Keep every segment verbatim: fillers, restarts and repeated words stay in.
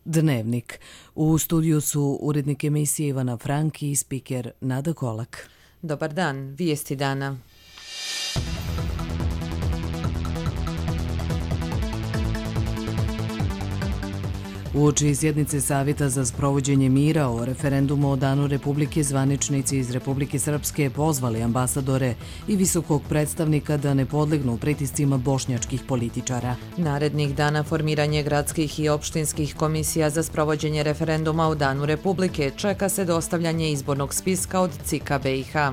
Dnevnik. U studiju su urednik emisije Ivana Franki i spiker Nada Kolak. Dobar dan, vijesti dana. Uoči sjednice Savjeta za sprovođenje mira o referendumu o Danu Republike, zvaničnici iz Republike Srpske pozvali ambasadore i visokog predstavnika da ne podlegnu pritiscima bošnjačkih političara. Narednih dana formiranje gradskih i opštinskih komisija za sprovođenje referenduma o Danu Republike, čeka se dostavljanje izbornog spiska od C I K-a B i H.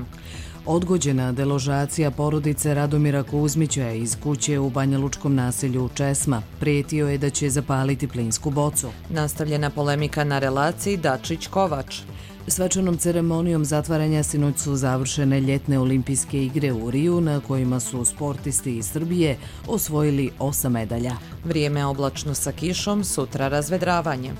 Odgođena deložacija porodice Radomira Kuzmića iz kuće u banjalučkom naselju Česma. Prijetio je da će zapaliti plinsku bocu. Nastavljena polemika na relaciji Dačić-Kovač. Svečanom ceremonijom zatvaranja sinoć su završene ljetne olimpijske igre u Riju, na kojima su sportisti iz Srbije osvojili osam medalja. Vrijeme oblačno sa kišom, sutra razvedravanje.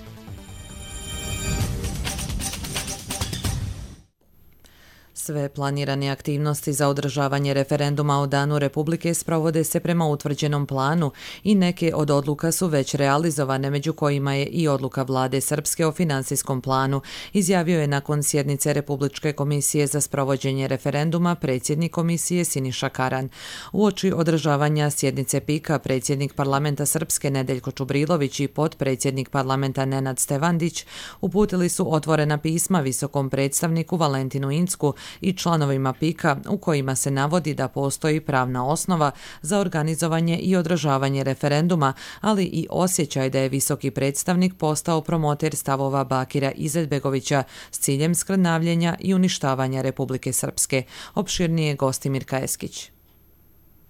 Sve planirane aktivnosti za održavanje referenduma o Danu Republike sprovode se prema utvrđenom planu i neke od odluka su već realizovane, među kojima je i odluka vlade Srpske o finansijskom planu, izjavio je nakon sjednice Republičke komisije za sprovođenje referenduma predsjednik komisije Siniša Karan. Uoči održavanja sjednice P I K-a predsjednik parlamenta Srpske Nedeljko Čubrilović i potpredsjednik parlamenta Nenad Stevandić uputili su otvorena pisma visokom predstavniku Valentinu Incku i članovima P I K-a u kojima se navodi da postoji pravna osnova za organizovanje i održavanje referenduma, ali i osjećaj da je visoki predstavnik postao promoter stavova Bakira Izetbegovića s ciljem skrnavljenja i uništavanja Republike Srpske. Opširnije Gostimir Kajeskić.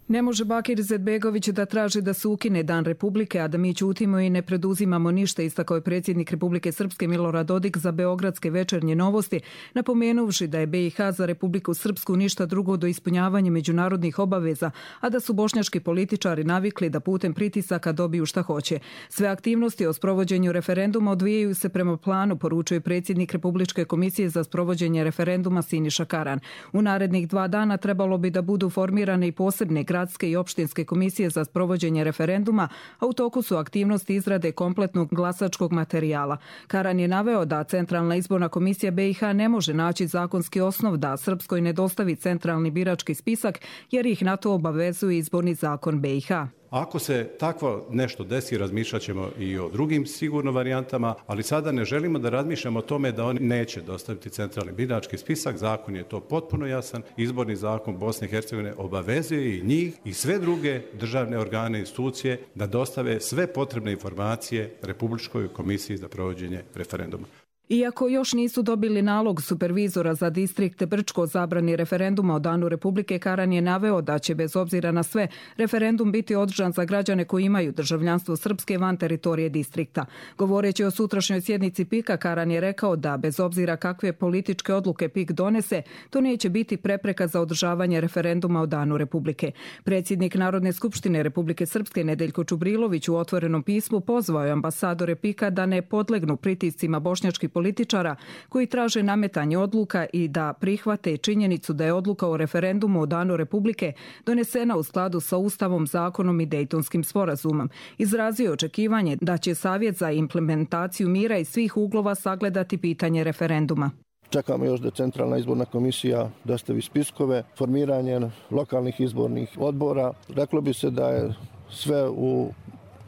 Ne može Bakir Izetbegović da traži da se ukine Dan Republike, a da mi ćutimo i ne preduzimamo ništa, istakao je predsjednik Republike Srpske Milorad Dodik za beogradske večernje novosti, napomenuvši da je B i H za Republiku Srpsku ništa drugo do ispunjavanja međunarodnih obaveza, a da su bošnjački političari navikli da putem pritisaka dobiju šta hoće. Sve aktivnosti o sprovođenju referenduma odvijaju se prema planu, poručuje predsjednik Republičke komisije za sprovođenje referenduma Siniša Karan. U narednih dva dana trebalo bi da budu formirane i posebne gradske i opštinske komisije za sprovođenje referenduma, a u toku su aktivnosti izrade kompletnog glasačkog materijala. Karan je naveo da Centralna izborna komisija B i H ne može naći zakonski osnov da Srpskoj ne dostavi centralni birački spisak, jer ih na to obavezuje izborni zakon B i H. Ako se takvo nešto desi, razmišljat ćemo i o drugim sigurno varijantama, ali sada ne želimo da razmišljamo o tome da oni neće dostaviti centralni birački spisak. Zakon je to potpuno jasan. Izborni zakon Bosne i Hercegovine obavezuje i njih i sve druge državne organe i institucije da dostave sve potrebne informacije Republičkoj komisiji za provođenje referenduma. Iako još nisu dobili nalog supervizora za distrikt Brčko o zabrani referenduma o Danu Republike, Karan je naveo da će bez obzira na sve referendum biti održan za građane koji imaju državljanstvo Srpske van teritorije distrikta. Govoreći o sutrašnjoj sjednici P I K-a, Karan je rekao da bez obzira kakve političke odluke P I K donese, to neće biti prepreka za održavanje referenduma o Danu Republike. Predsjednik Narodne skupštine Republike Srpske Nedeljko Čubrilović u otvorenom pismu pozvao je ambasadore P I K-a da ne podlegnu pritiscima bošnjačkih političara koji traže nametanje odluka i da prihvate činjenicu da je odluka o referendumu o Danu Republike donesena u skladu sa Ustavom, zakonom i Dejtonskim sporazumom. Izrazio očekivanje da će Savjet za implementaciju mira iz svih uglova sagledati pitanje referenduma. Čekamo još da Centralna izborna komisija dostavi spiskove, formiranje lokalnih izbornih odbora. Reklo bi se da je sve u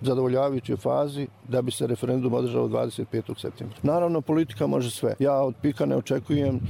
zadovoljavajućoj fazi da bi se referendum održao dvadeset petog septembra. Naravno, politika može sve. Ja od P I K-a ne očekujem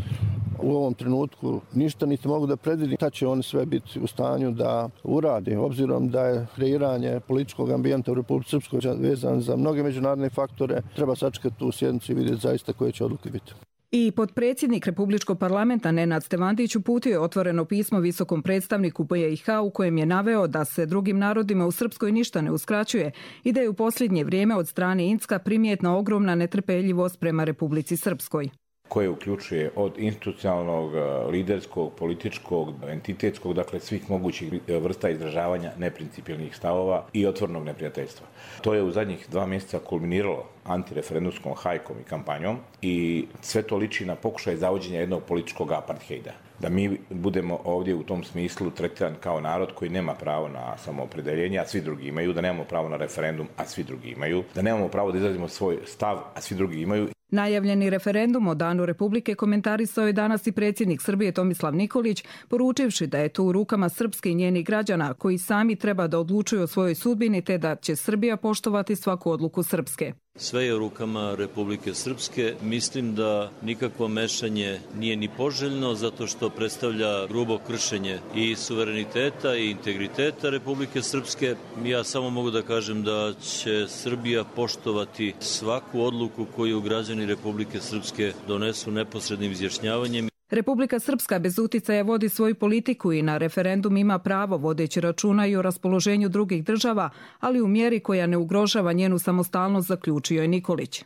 u ovom trenutku ništa, niti mogu da predvidim šta će oni sve biti u stanju da urade, obzirom da je kreiranje političkog ambijenta u Republici Srpskoj vezan za mnoge međunarodne faktore. Treba sačekati tu sjednicu i vidjeti zaista koje će odluke biti. I potpredsjednik Republičkog parlamenta Nenad Stevandić uputio je otvoreno pismo visokom predstavniku B i H u kojem je naveo da se drugim narodima u Srpskoj ništa ne uskraćuje i da je u posljednje vrijeme od strane Incka primjetna ogromna netrpeljivost prema Republici Srpskoj. koje uključuje od institucionalnog, liderskog, političkog, entitetskog, dakle svih mogućih vrsta izražavanja neprincipijelnih stavova i otvornog neprijateljstva. To je u zadnjih dva mjeseca kulminiralo antireferendumskom hajkom i kampanjom i sve to liči na pokušaj zavođenja jednog političkog aparthejda. da mi budemo ovdje u tom smislu tretiran kao narod koji nema pravo na samoopredeljenje, a svi drugi imaju, da nemamo pravo na referendum, a svi drugi imaju, da nemamo pravo da izrazimo svoj stav, a svi drugi imaju. Najavljeni referendum o Danu Republike komentarisao je danas i predsjednik Srbije Tomislav Nikolić, poručivši da je to u rukama Srpske i njenih građana koji sami treba da odlučuju o svojoj sudbini te da će Srbija poštovati svaku odluku Srpske. Sve je u rukama Republike Srpske. Mislim da nikakvo mešanje nije ni poželjno zato što predstavlja grubo kršenje i suvereniteta i integriteta Republike Srpske. Ja samo mogu da kažem da će Srbija poštovati svaku odluku koju građani Republike Srpske donesu neposrednim izjašnjavanjem. Republika Srpska bez uticaja vodi svoju politiku i na referendum ima pravo vodeći računa i o raspoloženju drugih država, ali u mjeri koja ne ugrožava njenu samostalnost, zaključio je Nikolić.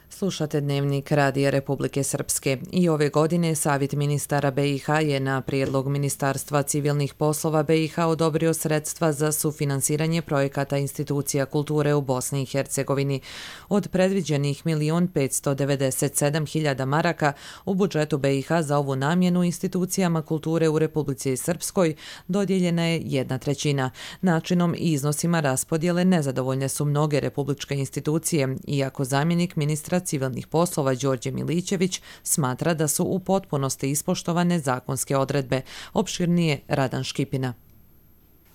Slušate Dnevnik Radija Republike Srpske. I ove godine Savjet ministara B i H je na prijedlog Ministarstva civilnih poslova B i H odobrio sredstva za sufinansiranje projekata institucija kulture u Bosni i Hercegovini. Od predviđenih milion petsto devedeset sedam hiljada maraka u budžetu B i H za ovu namjenu institucijama kulture u Republici Srpskoj dodijeljena je jedna trećina. Načinom i iznosima raspodjele nezadovoljne su mnoge republičke institucije, iako zamjenik ministra civilnih poslova Đorđe Milićević smatra da su u potpunosti ispoštovane zakonske odredbe. Opširnije Radan Škipina.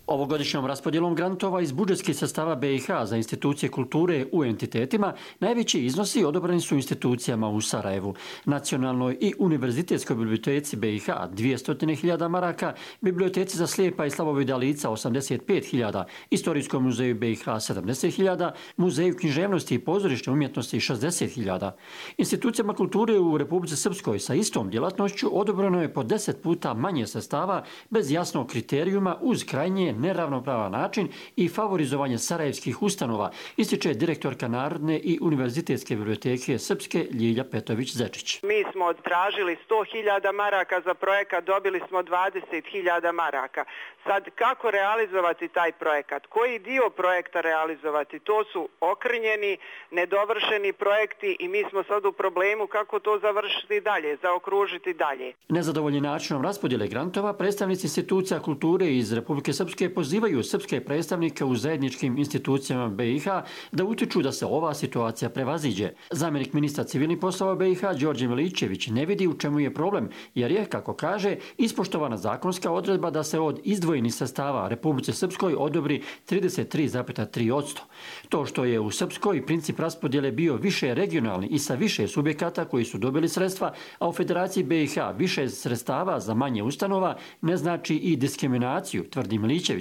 Ovogodišnjom raspodjelom grantova iz budžetskih sredstava B i H za institucije kulture u entitetima najveći iznosi odobreni su institucijama u Sarajevu, Nacionalnoj i univerzitetskoj biblioteci B i H dvjesto hiljada maraka, Biblioteci za slijepa i slabovidna lica osamdeset pet hiljada, Istorijskom muzeju B i H sedamdeset hiljada, Muzeju književnosti i pozorišne umjetnosti šezdeset hiljada. Institucijama kulture u Republici Srpskoj sa istom djelatnošću odobreno je po deset puta manje sredstava bez jasnog kriterijuma uz krajnje neravnopravan način i favorizovanje sarajevskih ustanova, ističe direktorka Narodne i univerzitetske biblioteke Srpske Ljilja Petović-Zečić. Mi smo tražili sto hiljada maraka za projekat, dobili smo dvadeset hiljada maraka. Sad kako realizovati taj projekat? Koji dio projekta realizovati? To su okrnjeni, nedovršeni projekti i mi smo sad u problemu kako to završiti dalje, zaokružiti dalje. Nezadovoljni načinom raspodjele grantova, predstavnici institucija kulture iz Republike Srpske pozivaju srpske predstavnike u zajedničkim institucijama B i H da utiču da se ova situacija prevaziđe. Zamjenik ministra civilnih poslova B i H Đorđe Milićević ne vidi u čemu je problem, jer je, kako kaže, ispoštovana zakonska odredba da se od izdvojenih sredstava Republike Srpskoj odobri trideset tri zarez tri posto. To što je u Srpskoj princip raspodjele bio više regionalni i sa više subjekata koji su dobili sredstva, a u Federaciji B i H više sredstava za manje ustanova, ne znači i diskriminaciju, tvrdi Milićević.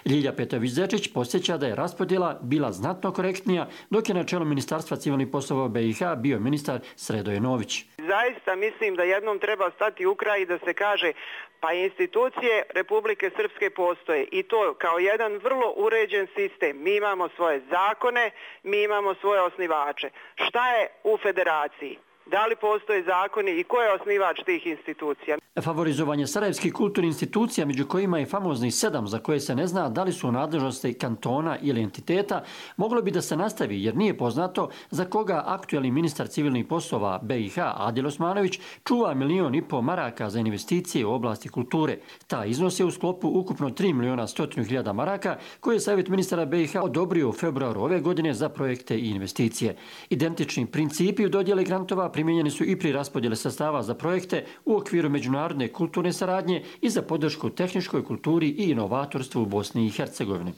Ljilja Petović-Zečić podsjeća da je raspodjela bila znatno korektnija, dok je na čelu Ministarstva civilnih poslova B i H bio ministar Sredoje Nović. Zaista mislim da jednom treba stati u kraj i da se kaže pa institucije Republike Srpske postoje i to kao jedan vrlo uređen sistem. Mi imamo svoje zakone, mi imamo svoje osnivače. Šta je u federaciji? Da li postoje zakoni i ko je osnivač tih institucija? Favorizovanje sarajevskih kulturnih institucija, među kojima je famoznih sedam za koje se ne zna da li su u nadležnosti kantona ili entiteta, moglo bi da se nastavi jer nije poznato za koga aktuelni ministar civilnih poslova B i H Adil Osmanović čuva milion i pol maraka za investicije u oblasti kulture. Ta iznos je u sklopu ukupno tri miliona stotinu hiljada maraka koje je Savjet ministara B i H odobrio u februaru ove godine za projekte i investicije. Identični principi u dodjeli grantova primijenjeni su i pri raspodjele sredstava za projekte u okviru međunarodne kulturne saradnje i za podršku tehničkoj kulturi i inovatorstvu u Bosni i Hercegovini.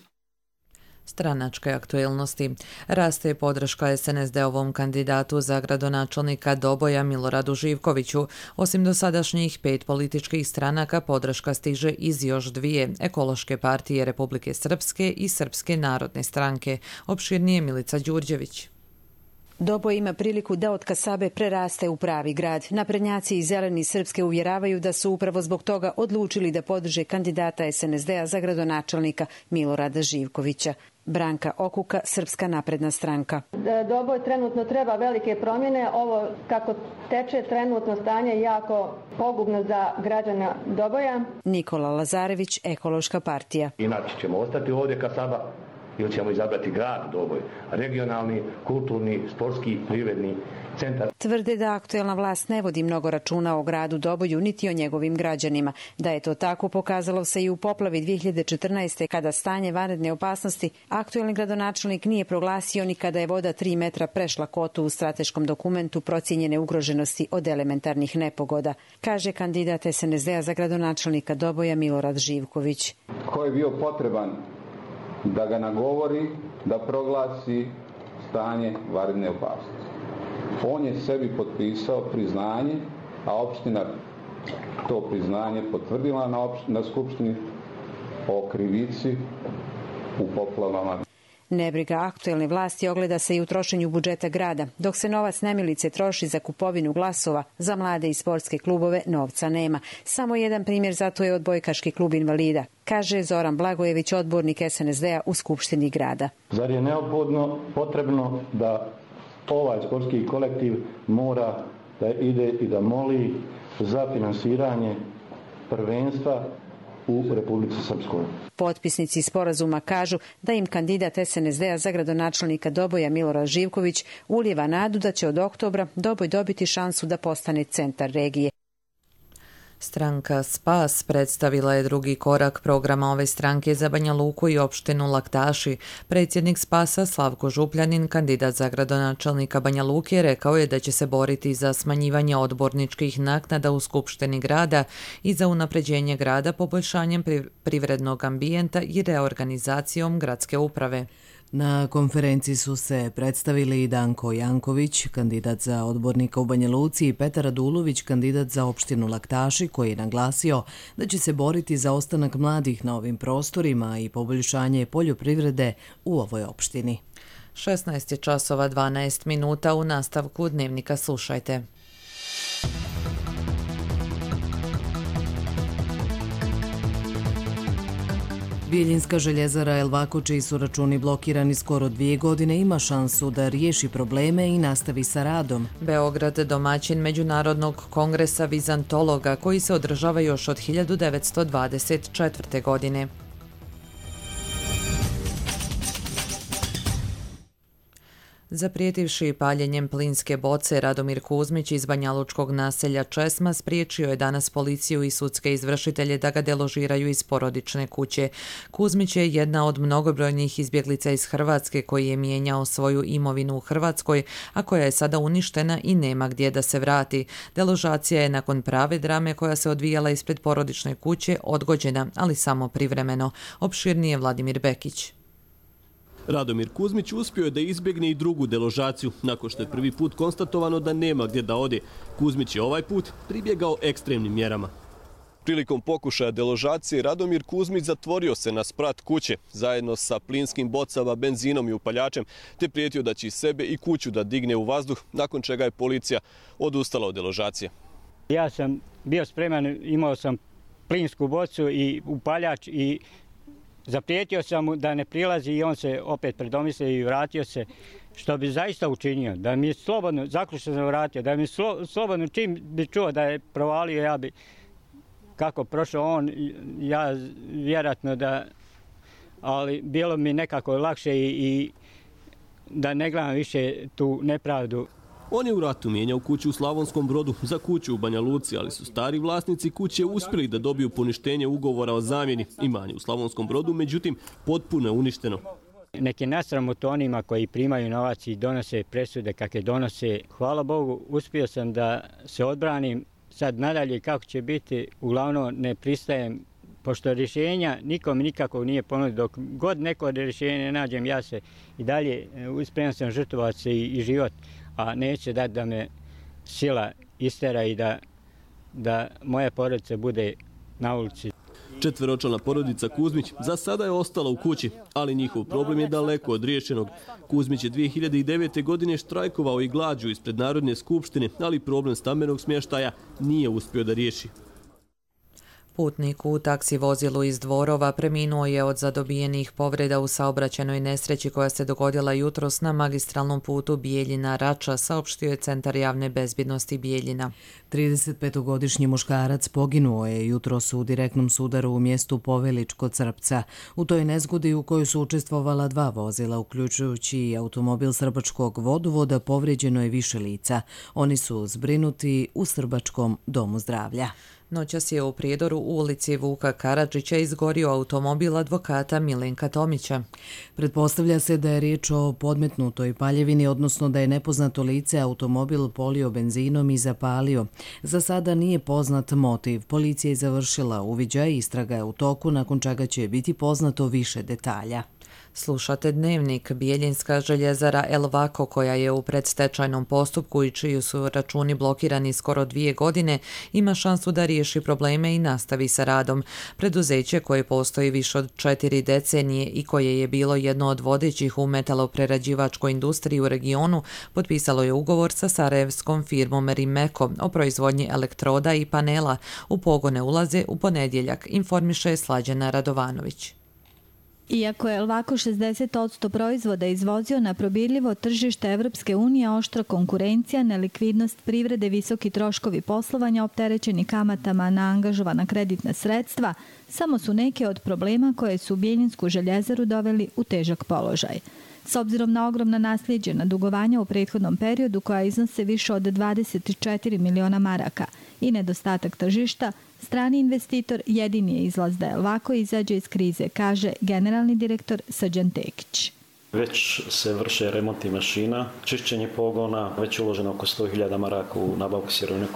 Stranačke aktuelnosti. Raste podrška S N S D-ovom kandidatu za gradonačelnika Doboja Miloradu Živkoviću. Osim dosadašnjih pet političkih stranaka, podrška stiže iz još dvije, Ekološke partije Republike Srpske i Srpske narodne stranke. Opširnije Milica Đurđević. Doboj ima priliku da od kasabe preraste u pravi grad. Naprednjaci i zeleni Srpske uvjeravaju da su upravo zbog toga odlučili da podrže kandidata S N S D-a za gradonačelnika Milorada Živkovića. Branka Okuka, Srpska napredna stranka. Doboj trenutno treba velike promjene. Ovo kako teče trenutno stanje je jako pogubno za građana Doboja. Nikola Lazarević, Ekološka partija. Inače ćemo ostati ovdje kasaba ili ćemo izabrati grad Doboj, regionalni, kulturni, sportski, privredni centar. Tvrde da aktuelna vlast ne vodi mnogo računa o gradu Doboju niti o njegovim građanima. Da je to tako pokazalo se i u poplavi dvije hiljade četrnaeste. kada stanje vanredne opasnosti aktuelni gradonačelnik nije proglasio ni kada je voda tri metra prešla kotu u strateškom dokumentu procijenjene ugroženosti od elementarnih nepogoda, kaže kandidat es en es de a za gradonačelnika Doboja Milorad Živković. Ko je bio potreban da ga nagovori da proglasi stanje vanredne opasnosti? On je sebi potpisao priznanje, a opština to priznanje potvrdila na, opšt- na skupštini o krivici u poplavama. Nebriga aktuelne vlasti ogleda se i u trošenju budžeta grada. Dok se novac nemilice troši za kupovinu glasova, za mlade i sportske klubove novca nema. Samo jedan primjer zato je odbojkaški klub invalida, kaže Zoran Blagojević, odbornik es en es de a u Skupštini grada. Zar je neophodno potrebno da ovaj sportski kolektiv mora da ide i da moli za finansiranje prvenstva u Republici Srpskoj? Potpisnici sporazuma kažu da im kandidat es en es de a za gradonačelnika Doboja Milorad Živković ulijeva nadu da će od oktobra Doboj dobiti šansu da postane centar regije. Stranka Spas predstavila je drugi korak programa ove stranke za Banja Luku i opštinu Laktaši. Predsjednik Spasa Slavko Župljanin, kandidat za gradonačelnika Banja Luke, rekao je da će se boriti za smanjivanje odborničkih naknada u Skupštini grada i za unapređenje grada poboljšanjem privrednog ambijenta i reorganizacijom gradske uprave. Na konferenciji su se predstavili i Danko Janković, kandidat za odbornika u Banja Luci, i Petar Radulović, kandidat za opštinu Laktaši, koji je naglasio da će se boriti za ostanak mladih na ovim prostorima i poboljšanje poljoprivrede u ovoj opštini. šesnaest je časova dvanaest minuta, u nastavku Dnevnika slušajte. Bijeljinska željezara Elvako, čiji su računi blokirani skoro dvije godine, ima šansu da riješi probleme i nastavi sa radom. Beograd, domaćin Međunarodnog kongresa vizantologa, koji se održava još od hiljadu devetsto dvadeset četvrte. godine. Zaprijetivši paljenjem plinske boce, Radomir Kuzmić iz banjalučkog naselja Česma spriječio je danas policiju i sudske izvršitelje da ga deložiraju iz porodične kuće. Kuzmić je jedna od mnogobrojnih izbjeglica iz Hrvatske koji je mijenjao svoju imovinu u Hrvatskoj, a koja je sada uništena i nema gdje da se vrati. Deložacija je nakon prave drame koja se odvijala ispred porodične kuće odgođena, ali samo privremeno. Opširnije Vladimir Bekić. Radomir Kuzmić uspio je da izbjegne i drugu deložaciju. Nakon što je prvi put konstatovano da nema gdje da ode, Kuzmić je ovaj put pribjegao ekstremnim mjerama. Prilikom pokušaja deložacije Radomir Kuzmić zatvorio se na sprat kuće zajedno sa plinskim bocama, benzinom i upaljačem, te prijetio da će sebe i kuću da digne u vazduh, nakon čega je policija odustala od deložacije. Ja sam bio spreman, imao sam plinsku bocu i upaljač i zaprijetio sam mu da ne prilazi i on se opet predomislio i vratio se, što bi zaista učinio. Da mi je slobodno, zaključno sam vratio, da mi je slo, slobodno čim bi čuo da je provalio, ja bi, kako prošao on, ja vjerojatno da, ali bilo mi nekako lakše i, i da ne gledam više tu nepravdu. On je u ratu mijenjao kuću u Slavonskom Brodu za kuću u Banja Luci, ali su stari vlasnici kuće uspjeli da dobiju poništenje ugovora o zamjeni. Imanje u Slavonskom Brodu, međutim, potpuno je uništeno. Neki nasramot onima koji primaju novac i donose presude kakve donose. Hvala Bogu, uspio sam da se odbranim. Sad nadalje kako će biti, uglavnom ne pristajem, pošto rješenja nikom nikako nije ponudio. Dok god neko rješenje ne nađem, ja se i dalje uspreman sam žrtvovati se i, i život, a neće dati da me sila istera i da, da moja porodica bude na ulici. Četveročlana porodica Kuzmić za sada je ostala u kući, ali njihov problem je daleko od riješenog. Kuzmić je dvije hiljade devete. godine štrajkovao i glađu ispred Narodne skupštine, ali problem stambenog smještaja nije uspio da riješi. Putnik u taksi vozilu iz Dvorova preminuo je od zadobijenih povreda u saobraćajnoj nesreći koja se dogodila jutros na magistralnom putu Bijeljina-Rača, saopštio je Centar javne bezbjednosti Bijeljina. tridesetpetogodišnji muškarac poginuo je jutros u direktnom sudaru u mjestu Povelić kod Srpca. U toj nezgodi u kojoj su učestvovala dva vozila, uključujući i automobil Srbačkog vodovoda, povrijeđeno je više lica. Oni su zbrinuti u Srbačkom domu zdravlja. Noćas je u Prijedoru u ulici Vuka Karadžića izgorio automobil advokata Milenka Tomića. Pretpostavlja se da je riječ o podmetnutoj paljevini, odnosno da je nepoznato lice automobil polio benzinom i zapalio. Za sada nije poznat motiv. Policija je završila uviđaj i istraga je u toku, nakon čega će biti poznato više detalja. Slušate Dnevnik. Bijeljinska željezara Elvako, koja je u predstečajnom postupku i čiji su računi blokirani skoro dvije godine, ima šansu da riješi probleme i nastavi sa radom. Preduzeće koje postoji više od četiri decenije i koje je bilo jedno od vodećih u metaloprerađivačkoj industriji u regionu, potpisalo je ugovor sa sarajevskom firmom Rimeko o proizvodnji elektroda i panela. U pogone ulaze u ponedjeljak, informiše Slađana Radovanović. Iako je Elvako šezdeset posto proizvoda izvozio na probirljivo tržište Evropske unije, oštra konkurencija, nelikvidnost privrede, visoki troškovi poslovanja opterećeni kamatama na angažovana kreditna sredstva, samo su neke od problema koje su Bijeljinsku željezaru doveli u težak položaj. S obzirom na ogromna nasljeđena dugovanja u prethodnom periodu koja iznose više od dvadeset četiri miliona maraka i nedostatak tržišta, strani investitor jedini je izlaz da Elvako izađe iz krize, kaže generalni direktor Srđan Tekić. Već se vrše remonti mašina, čišćenje pogona, već je uloženo oko sto hiljada maraka u nabavku sirovine.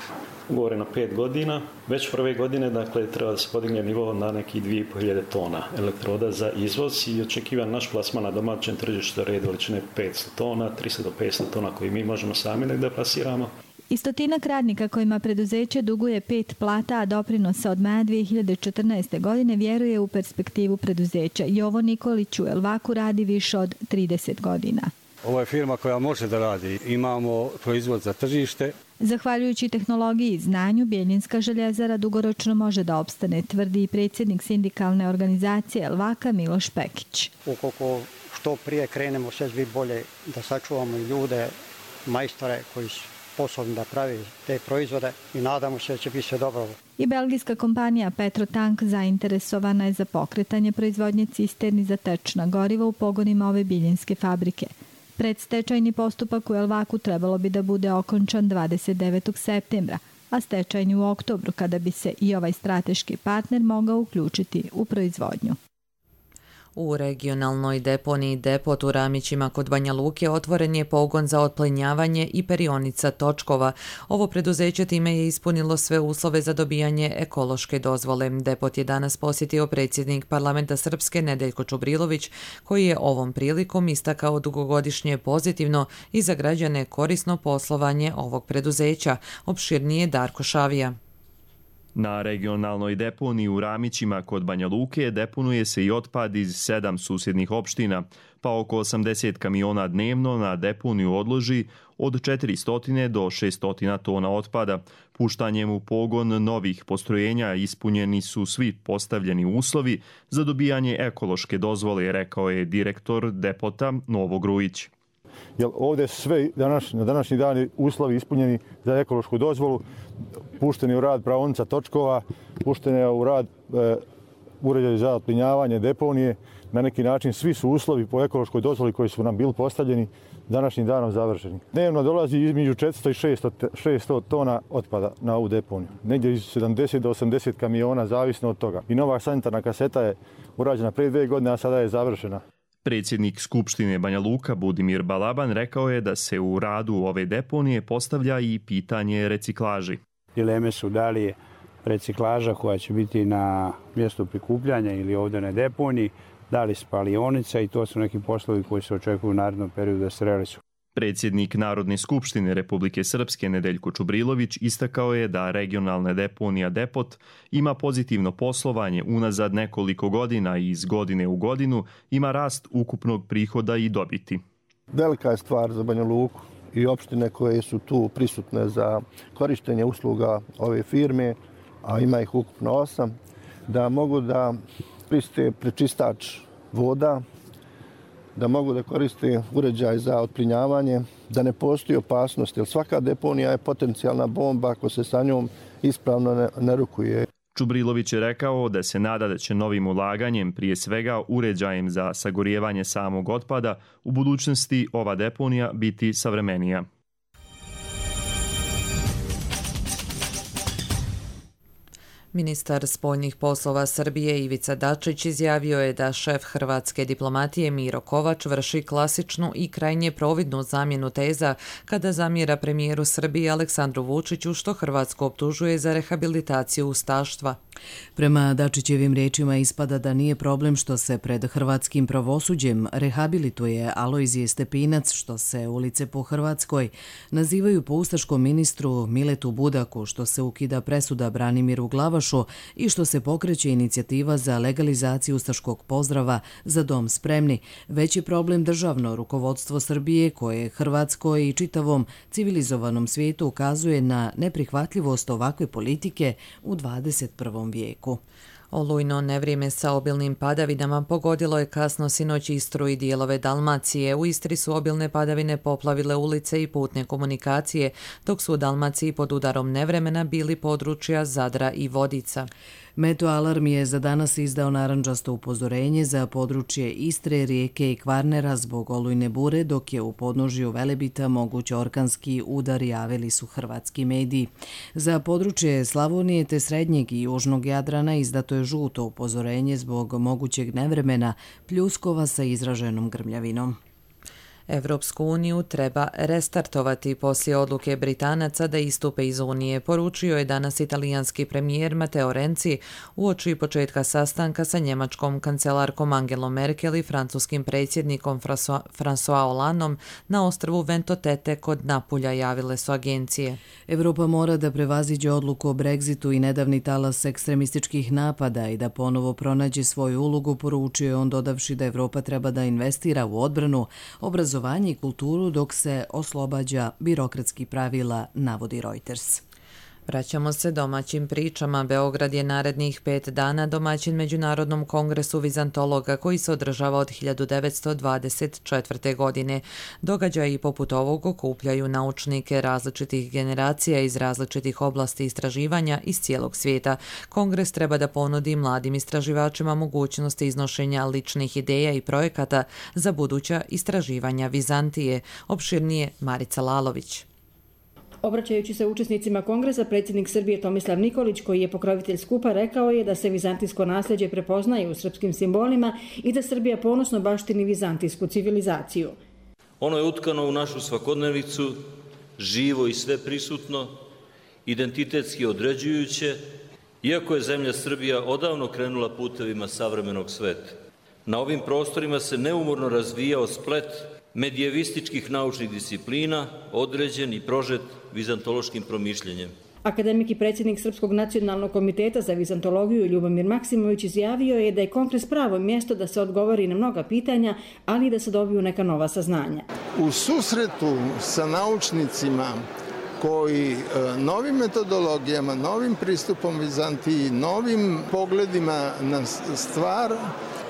Ugovore na pet godina. Već prve godine dakle, treba da se podigne nivo na nekih dvije i pol hiljade tona elektroda za izvoz i očekivan naš plasman na domaćem tržištu red veličine petsto tona, tristo do petsto tona koji mi možemo sami da plasiramo. I stotinak radnika kojima preduzeće duguje pet plata, a doprinosa od maja dvije hiljade četrnaeste. godine vjeruje u perspektivu preduzeća. Jovo Nikolić u Elvaku radi više od trideset godina. Ovo je firma koja može da radi. Imamo proizvod za tržište. Zahvaljujući tehnologiji i znanju, Bijeljinska željezara dugoročno može da opstane, tvrdi i predsjednik sindikalne organizacije Elvaka Miloš Pekić. Ukoliko što prije krenemo, sve bi bolje da sačuvamo ljude, majstore koji su sposobni da pravi te proizvode i nadamo se da će biti sve dobro. I belgijska kompanija Petrotank zainteresovana je za pokretanje proizvodnje cisterni za tečna goriva u pogonima ove bijeljinske fabrike. Predstečajni postupak u Elvaku trebalo bi da bude okončan dvadeset devetog septembra, a stečajni u oktobru, kada bi se i ovaj strateški partner mogao uključiti u proizvodnju. U regionalnoj deponiji Depot u Ramićima kod Banja Luke otvoren je pogon za otplinjavanje i perionica točkova. Ovo preduzeće time je ispunilo sve uslove za dobijanje ekološke dozvole. Depot je danas posjetio predsjednik parlamenta Srpske Nedeljko Čubrilović, koji je ovom prilikom istakao dugogodišnje pozitivno i za građane korisno poslovanje ovog preduzeća. Opširnije Darko Šavija. Na regionalnoj deponiji u Ramićima kod Banja Luke deponuje se i otpad iz sedam susjednih opština, pa oko osamdeset kamiona dnevno na deponiju odloži od četiristo do šesto tona otpada. Puštanjem u pogon novih postrojenja ispunjeni su svi postavljeni uslovi za dobijanje ekološke dozvole, rekao je direktor Depota Novo Grujić. Jer ovdje su sve danas, na današnji dan uslovi ispunjeni za ekološku dozvolu, pušteni u rad praonica točkova, pušteni u rad e, uređaj za otplinjavanje deponije. Na neki način svi su uslovi po ekološkoj dozvoli koji su nam bili postavljeni današnjim danom završeni. Dnevno dolazi između četiristo i šesto tona otpada na ovu deponiju. Negdje iz sedamdeset do osamdeset kamiona, zavisno od toga. I nova sanitarna kaseta je urađena prije dvije godine, a sada je završena. Predsjednik Skupštine Banja Luka Budimir Balaban rekao je da se u radu ove deponije postavlja i pitanje reciklaži. Dileme su da li je reciklaža koja će biti na mjestu prikupljanja ili ovdje na deponiji, da li spalionica i to su neki poslovi koji se očekuju u narednom periodu da se realizuju. Predsjednik Narodne skupštine Republike Srpske Nedeljko Čubrilović istakao je da regionalna deponija Depot ima pozitivno poslovanje unazad nekoliko godina i iz godine u godinu ima rast ukupnog prihoda i dobiti. Velika je stvar za Banja Luku i opštine koje su tu prisutne za korištenje usluga ove firme, a ima ih ukupno osam, da mogu da koriste prečistač voda, da mogu da koriste uređaj za otplinjavanje, da ne postoji opasnost, jer svaka deponija je potencijalna bomba ako se sa njom ispravno ne, ne rukuje. Čubrilović je rekao da se nada da će novim ulaganjem, prije svega uređajem za sagorijevanje samog otpada, u budućnosti ova deponija biti savremenija. Ministar spoljnih poslova Srbije Ivica Dačić izjavio je da šef hrvatske diplomatije Miro Kovač vrši klasičnu i krajnje providnu zamjenu teza kada zamjera premijeru Srbije Aleksandru Vučiću što Hrvatsku optužuje za rehabilitaciju ustaštva. Prema Dačićevim riječima ispada da nije problem što se pred hrvatskim pravosuđem rehabilituje Alojzije Stepinac, što se ulice po Hrvatskoj nazivaju po ustaškom ministru Miletu Budaku, što se ukida presuda Branimiru Glavašu i što se pokreće inicijativa za legalizaciju ustaškog pozdrava Za dom spremni. Već je problem državno rukovodstvo Srbije koje Hrvatskoj i čitavom civilizovanom svijetu ukazuje na neprihvatljivost ovakve politike u dvadeset prvom vijeku. Olujno nevrijeme sa obilnim padavinama pogodilo je kasno sinoć Istru i dijelove Dalmacije. U Istri su obilne padavine poplavile ulice i putne komunikacije, dok su u Dalmaciji pod udarom nevremena bili područja Zadra i Vodica. Meteo alarm je za danas izdao narandžasto upozorenje za područje Istre, Rijeke i Kvarnera zbog olujne bure, dok je u podnožju Velebita moguć orkanski udar, javili su hrvatski mediji. Za područje Slavonije te srednjeg i južnog Jadrana izdato je žuto upozorenje zbog mogućeg nevremena, pljuskova sa izraženom grmljavinom. Evropsku uniju treba restartovati poslije odluke Britanaca da istupe iz Unije, poručio je danas italijanski premijer Matteo Renzi uoči početka sastanka sa njemačkom kancelarkom Angelom Merkel i francuskim predsjednikom François Hollandom na ostrvu Ventotete kod Napulja, javile su agencije. Evropa mora da prevaziđe odluku o Brexitu i nedavni talas ekstremističkih napada i da ponovo pronađe svoju ulogu, poručio je on dodavši da Evropa treba da investira u odbranu, obrazovanje i kulturu dok se oslobađa birokratskih pravila, navodi Reuters. Vraćamo se domaćim pričama. Beograd je narednih pet dana domaćin Međunarodnom kongresu vizantologa koji se održava od hiljadu devetsto dvadeset četvrte. godine. Događaji poput ovog okupljaju naučnike različitih generacija iz različitih oblasti istraživanja iz cijelog svijeta. Kongres treba da ponudi mladim istraživačima mogućnosti iznošenja ličnih ideja i projekata za buduća istraživanja Vizantije. Opširnije Marica Lalović. Obraćajući se učesnicima kongresa, predsjednik Srbije Tomislav Nikolić, koji je pokrovitelj skupa, rekao je da se vizantijsko nasljeđe prepoznaje u srpskim simbolima i da Srbija ponosno baštini vizantijsku civilizaciju. Ono je utkano u našu svakodnevicu, živo i sve prisutno, identitetski određujuće, iako je zemlja Srbija odavno krenula putevima savremenog sveta. Na ovim prostorima se neumorno razvijao splet medijevističkih naučnih disciplina, određen i prožet vizantološkim promišljenjem. Akademik i predsjednik Srpskog nacionalnog komiteta za vizantologiju Ljubomir Maksimović izjavio je da je kongres pravo mjesto da se odgovori na mnoga pitanja, ali i da se dobiju neka nova saznanja. U susretu sa naučnicima koji novim metodologijama, novim pristupom Vizantiji, novim pogledima na stvar,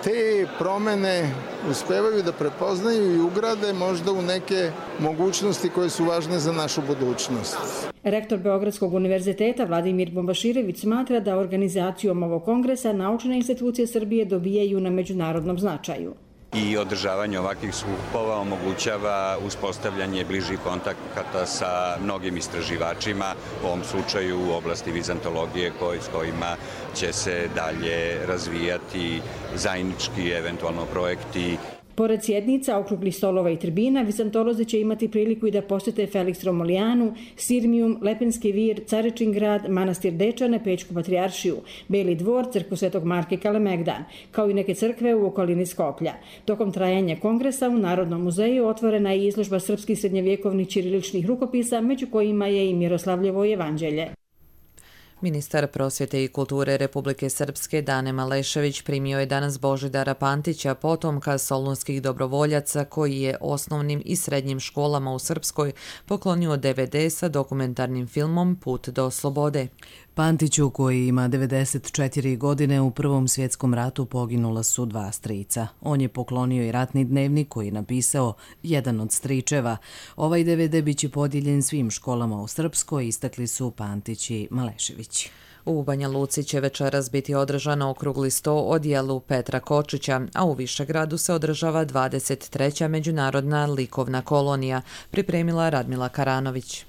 te promjene uspevaju da prepoznaju i ugrade možda u neke mogućnosti koje su važne za našu budućnost. Rektor Beogradskog univerziteta Vladimir Bombaširević smatra da organizacijom ovog kongresa naučne institucije Srbije dobijaju na međunarodnom značaju. I održavanje ovakvih skupova omogućava uspostavljanje bližih kontakata sa mnogim istraživačima, u ovom slučaju u oblasti vizantologije s kojima će se dalje razvijati zajednički eventualno projekti. Pored sjednica, okruglih stolova i tribina, vizantolozi će imati priliku i da posjete Felix Romolijanu, Sirmijum, Lepenski vir, Caričin grad, manastir Dečane, Pećku patrijaršiju, Beli dvor, crkvu Svetog Marka i Kalemegdan, kao i neke crkve u okolini Skoplja. Tokom trajanja kongresa u Narodnom muzeju otvorena je izložba srpskih srednjevjekovnih ćiriličnih rukopisa, među kojima je i Miroslavljevo evanđelje. Ministar prosvjete i kulture Republike Srpske Dane Malešević primio je danas Božidara Pantića, potomka solunskih dobrovoljaca koji je osnovnim i srednjim školama u Srpskoj poklonio D V D sa dokumentarnim filmom Put do slobode. Pantiću, koji ima devedeset četiri godine, u Prvom svjetskom ratu poginula su dva strica. On je poklonio i ratni dnevnik koji je napisao jedan od stričeva. Ovaj D V D biće podijeljen svim školama u Srpskoj, istakli su Pantić i Malešević. U Banja Luci će večeras biti održano okrugli sto o djelu Petra Kočića, a u Višegradu se održava dvadeset treća međunarodna likovna kolonija, pripremila Radmila Karanović.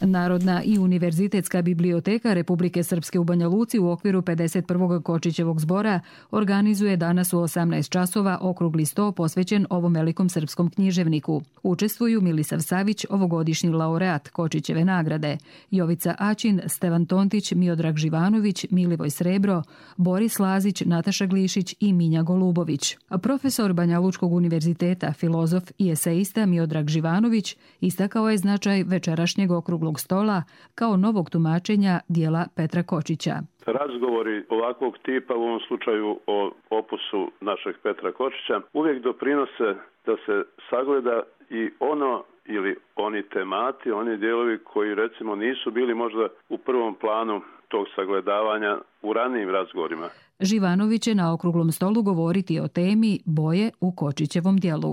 Narodna i univerzitetska biblioteka Republike Srpske u Banja Luci u okviru pedeset prvog Kočićevog zbora organizuje danas u osamnaest časova okrugli sto posvećen ovom velikom srpskom književniku. Učestvuju Milisav Savić, ovogodišnji laureat Kočićeve nagrade, Jovica Aćin, Stevan Tontić, Miodrag Živanović, Milivoj Srebro, Boris Lazić, Nataša Glišić i Minja Golubović. Profesor Banja Lučkog univerziteta, filozof i eseista Miodrag Živanović istakao je značaj večerašnjeg okruglog stola kao novog tumačenja dijela Petra Kočića. Razgovori ovakvog tipa, u ovom slučaju o opusu našeg Petra Kočića, uvijek doprinose da se sagleda i ono ili oni temati, oni dijelovi koji recimo nisu bili možda u prvom planu tog sagledavanja u ranijim razgovorima. Živanović će na okruglom stolu govoriti o temi boje u Kočićevom dijelu.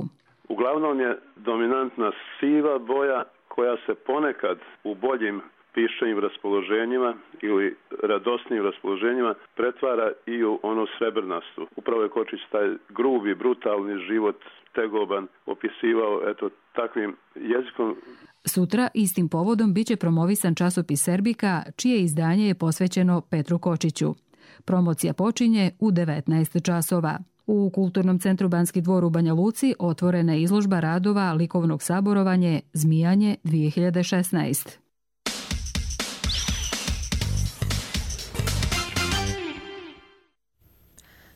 Uglavnom je dominantna siva boja koja se ponekad u boljim pišenim raspoloženjima ili radosnim raspoloženjima pretvara i u ono srebrnastu. Upravo je Kočić taj grubi, brutalni život, tegoban, opisivao eto takvim jezikom. Sutra istim povodom biće promovisan časopis Serbika, čije izdanje je posvećeno Petru Kočiću. Promocija počinje u devetnaest časova. U Kulturnom centru Banski dvor u Banja Luci otvorena je izložba radova likovnog saborovanje Zmijanje dvije hiljade šesnaest.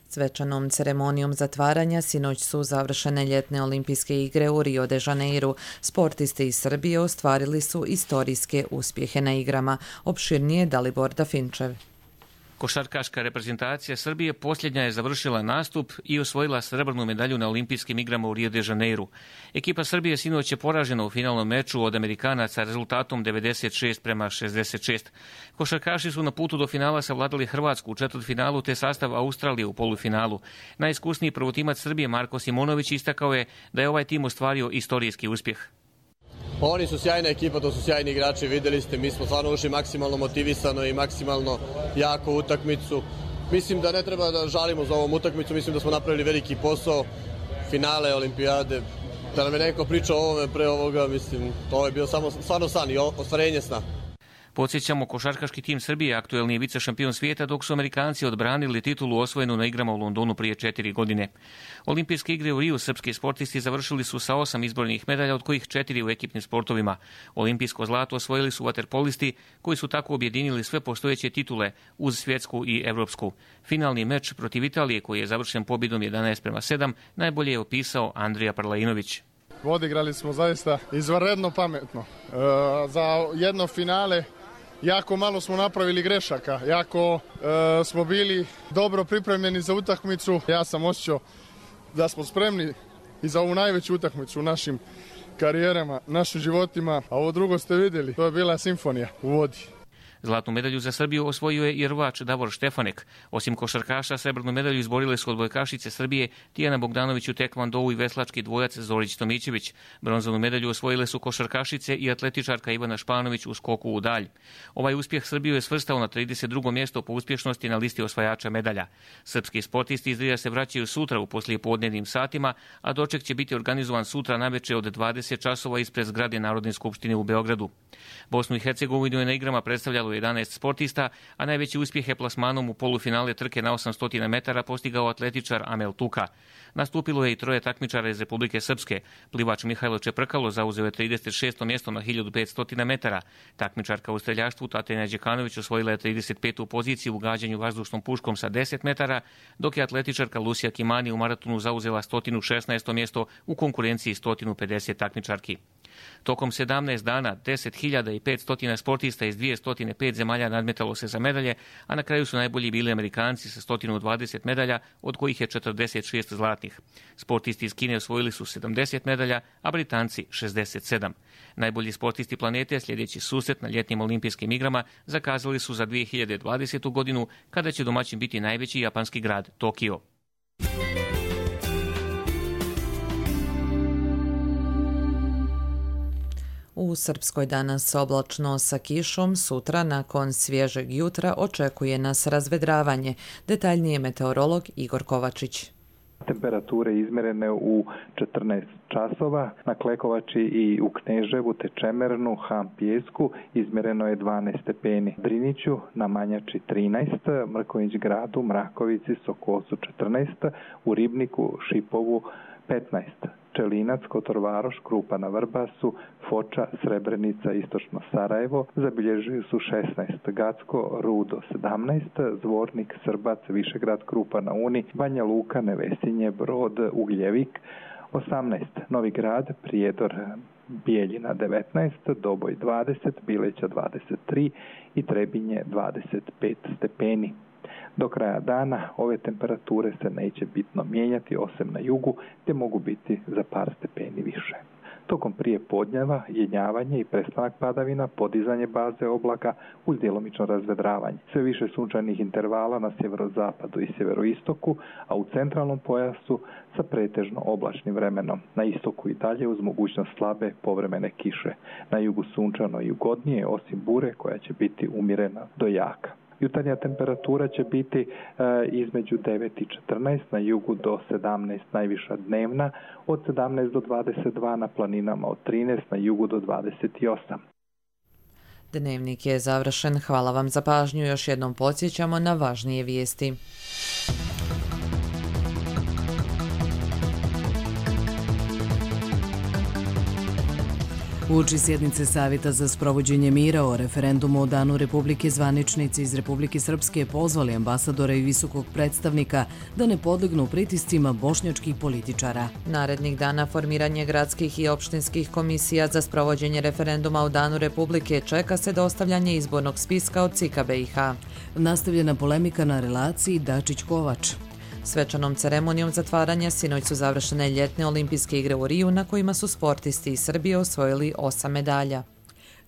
Svečanom ceremonijom zatvaranja sinoć su završene ljetne olimpijske igre u Rio de Janeiru. Sportisti iz Srbije ostvarili su istorijske uspjehe na igrama. Opširnije Dalibor Dafinčev. Košarkaška reprezentacija Srbije posljednja je završila nastup i osvojila srebrnu medalju na olimpijskim igrama u Rio de Janeiru. Ekipa Srbije sinoć je poražena u finalnom meču od Amerikanaca rezultatom devedeset šest prema šezdeset šest. Košarkaši su na putu do finala savladali Hrvatsku u četvrtfinalu te sastav Australije u polufinalu. Najiskusniji prvotimac Srbije Marko Simonović istakao je da je ovaj tim ostvario istorijski uspjeh. Oni su sjajna ekipa, to su sjajni igrači, vidjeli ste, mi smo stvarno ušli maksimalno motivisano i maksimalno jako utakmicu. Mislim da ne treba da žalimo za ovom utakmicu, mislim da smo napravili veliki posao, finale olimpijade. Da nam je neko pričao o ovome pre ovoga, mislim, to je bio samo stvarno san i ostvarenje sna. Podsjećamo, košarkaški tim Srbije aktuelni je vice šampion svijeta, dok su Amerikanci odbranili titulu osvojenu na igrama u Londonu prije četiri godine. Olimpijske igre u Riju srpski sportisti završili su sa osam izbornih medalja, od kojih četiri u ekipnim sportovima. Olimpijsko zlato osvojili su vaterpolisti, koji su tako objedinili sve postojeće titule uz svjetsku i evropsku. Finalni meč protiv Italije, koji je završen pobjedom jedanaest prema sedam, najbolje je opisao Andrija Parlainović. Odigrali smo zaista izvanredno pametno. E, za jedno finale jako malo smo napravili grešaka, jako e, smo bili dobro pripremljeni za utakmicu. Ja sam osjećao da smo spremni i za ovu najveću utakmicu u našim karijerama, našim životima, a ovo drugo ste vidjeli, to je bila simfonija u vodi. Zlatnu medalju za Srbiju osvojio je i rvač Davor Štefanek. Osim košarkaša, srebrnu medalju izborile su odbojkašice Srbije Tijana Bogdanović u tekvondou i veslački dvojac Zorić Tomićević. Bronzanu medalju osvojile su košarkašice i atletičarka Ivana Španović u skoku u dalj. Ovaj uspjeh Srbiju je svrstao na trideset drugo mjesto po uspješnosti na listi osvajača medalja. Srpski sportisti iz Rija se vraćaju sutra u poslijepodnevnim satima, a doček će biti organizovan sutra naveče od dvadeset časova ispred zgrade Narodne skupštine u Beogradu. Bosnu i Hercegovinu je na igrama predstavljalo jedanaest sportista, a najveći uspjeh je plasmanom u polufinale trke na osamsto metara postigao atletičar Amel Tuka. Nastupilo je i troje takmičara iz Republike Srpske. Plivač Mihajlo Čeprkalo zauzeo je trideset šesto mjesto na hiljadu petsto metara. Takmičarka u streljaštvu Tatjana Đekanović osvojila je trideset petu poziciju u gađanju vazdušnom puškom sa deset metara, dok je atletičarka Lucija Kimani u maratonu zauzela sto šesnaesto mjesto u konkurenciji sto pedeset takmičarki. Tokom sedamnaest dana deset hiljada petsto sportista iz dvjesto pet zemalja nadmetalo se za medalje, a na kraju su najbolji bili Amerikanci sa sto dvadeset medalja, od kojih je četrdeset šest zlatnih. Sportisti iz Kine osvojili su sedamdeset medalja, a Britanci šezdeset sedam. Najbolji sportisti planete, sljedeći susret na ljetnim olimpijskim igrama, zakazali su za dvije hiljade dvadesetu. godinu, kada će domaćin biti najveći japanski grad Tokio. U Srpskoj danas oblačno sa kišom, sutra nakon svježeg jutra očekuje nas razvedravanje. Detaljnije meteorolog Igor Kovačić. Temperature izmjerene u četrnaest časova, na Klekovači i u Kneževu te Čemernu, Ham, Pijesku izmjereno je dvanaest stepeni. Driniću, na Manjači trinaest, Mrković gradu, Mrakovici, Sokosu četrnaest, u Ribniku, Šipovu petnaest. Čelinac, Kotorvaroš, Krupa na Vrbasu, Foča, Srebrenica, Istočno Sarajevo zabilježili su šesnaest, Gacko, Rudo sedamnaest, Zvornik, Srbac, Višegrad, Krupa na Uni, Banja Luka, Nevesinje, Brod, Ugljevik osamnaest, Novi Grad, Prijedor, Bijeljina devetnaest, Doboj dvadeset, Bileća dvadeset tri i Trebinje dvadeset pet stepeni. Do kraja dana ove temperature se neće bitno mijenjati osim na jugu, te mogu biti za par stepeni više. Tokom prije podnjeva, jenjavanje i prestanak padavina, podizanje baze oblaka uz djelomično razvedravanje. Sve više sunčanih intervala na sjeverozapadu i sjeveroistoku, a u centralnom pojasu sa pretežno oblačnim vremenom. Na istoku i dalje uz mogućnost slabe povremene kiše. Na jugu sunčano i ugodnije, osim bure koja će biti umjerena do jaka. Jutarnja temperatura će biti e, između devet i četrnaest, na jugu do sedamnaest najviša dnevna, od sedamnaest do dvadeset dva na planinama, od trinaest na jugu do dvadeset osam. Dnevnik je završen. Hvala vam za pažnju. Još jednom podsjećamo na važnije vijesti. Uoči sjednice Savjeta za sprovođenje mira o referendumu o Danu Republike, zvaničnici iz Republike Srpske pozvali ambasadora i visokog predstavnika da ne podlegnu pritiscima bošnjačkih političara. Narednih dana formiranje gradskih i opštinskih komisija za sprovođenje referenduma o Danu Republike čeka se dostavljanje izbornog spiska od C I K A B i H. Nastavljena polemika na relaciji Dačić-Kovač. Svečanom ceremonijom zatvaranja sinoć su završene ljetne olimpijske igre u Riju, na kojima su sportisti iz Srbije osvojili osam medalja.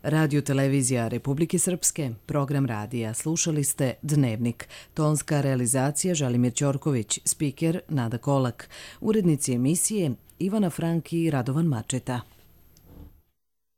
Radio televizija Republike Srpske, program radija. Slušali ste Dnevnik. Tonska realizacija Želimir Ćorković, spiker Nada Kolak. Urednici emisije Ivana Franki i Radovan Mačeta.